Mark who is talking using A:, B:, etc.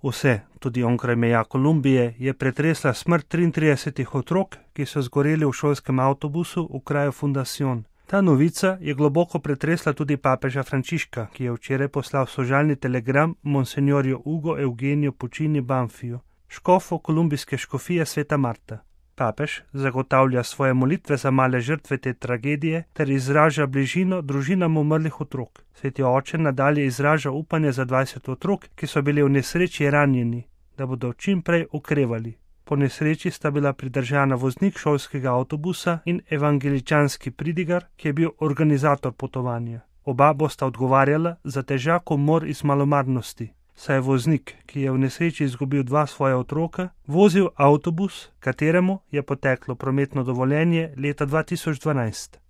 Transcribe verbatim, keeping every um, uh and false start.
A: Vse, tudi onkraj meja Kolumbije, je pretresla smrt triintridesetih otrok, ki so zgoreli v šolskem avtobusu v kraju Fundación. Ta novica je globoko pretresla tudi papeža Frančiška, ki je včeraj poslal sožalni telegram monsenjorju Hugo Eugenio Puccini Banfiju, škofu kolumbijske škofije Sveta Marta. Papež zagotavlja svoje molitve za male žrtve te tragedije ter izraža bližino družinam umrlih otrok. Sveti oče nadalje izraža upanje za dvajset otrok, ki so bili v nesreči ranjeni, da bodo čim prej okrevali. Po nesreči sta bila pridržana voznik šolskega avtobusa in evangeličanski pridigar, ki je bil organizator potovanja. Oba bosta odgovarjala za težak umor iz malomarnosti, saj je voznik, ki je v nesreči izgubil dva svoja otroka, vozil avtobus, kateremu je poteklo prometno dovoljenje leta dva tisoč dvanajst.